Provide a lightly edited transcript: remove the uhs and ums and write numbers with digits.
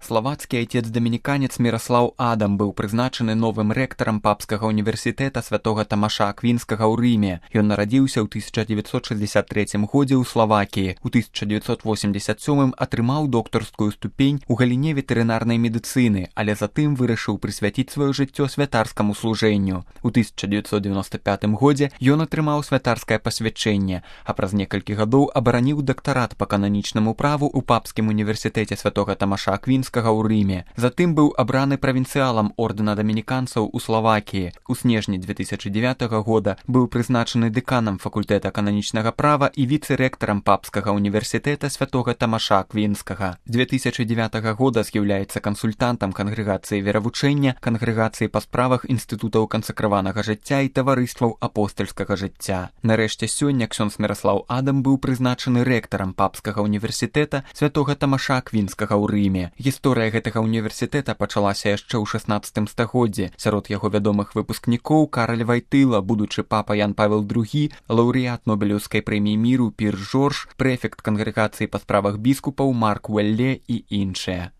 Славацкі айцец-дамініканец Міраслаў Адам быў прызначаны новым рэктарам папскага універсітэта святога Тамаша Аквінскага ў Рыме. Ён нарадзіўся ў 1963 годзе ў Славакіі. У 1987 атрымаў доктарскую ступень у галіне ветэрынарнай медыцыны, але затым вырашыў прысвяціць сваё жыццё святарскаму служэнню. У 1995 годзе ён атрымаў святарскае пасвячэнне, а праз некалькі гадоў абараніў дактарат па кананічнаму праву ў папскім універсітэце святога Тамаша Аквінскага ў Рыме. Затым быў абраны правінцыялам ордэна дамініканцаў у Славакіі. У снежні 2009 года быў прызначаны дэканам факультэта кананічнага права і віцэ-рэктарам папскага універсітэта святога Тамаша Аквінскага. З 2009 года з'яўляецца кансультантам кангрэгацыі веравучэння, кангрэгацыі па справах інстытутаў кансакраванага жыцця і таварыстваў апостальскага жыцця. Нарэшце сёння ксёндз Міраслаў Адам быў прызначаны рэктарам папскага універсітэта святога Тамаша Аквінскага ў Рыме. Гісторыя гэтага універсітэта пачалася яшчэ ў 16 стагоддзі. Сярод яго вядомых выпускнікоў Караль Вайтыла, будучы папа Ян Павел II, лаўрэат Нобелеўскай прэміі міру Пір Жорж, прэфект кангрэгацыі па справах біскупаў Марк Уэлле і іншыя.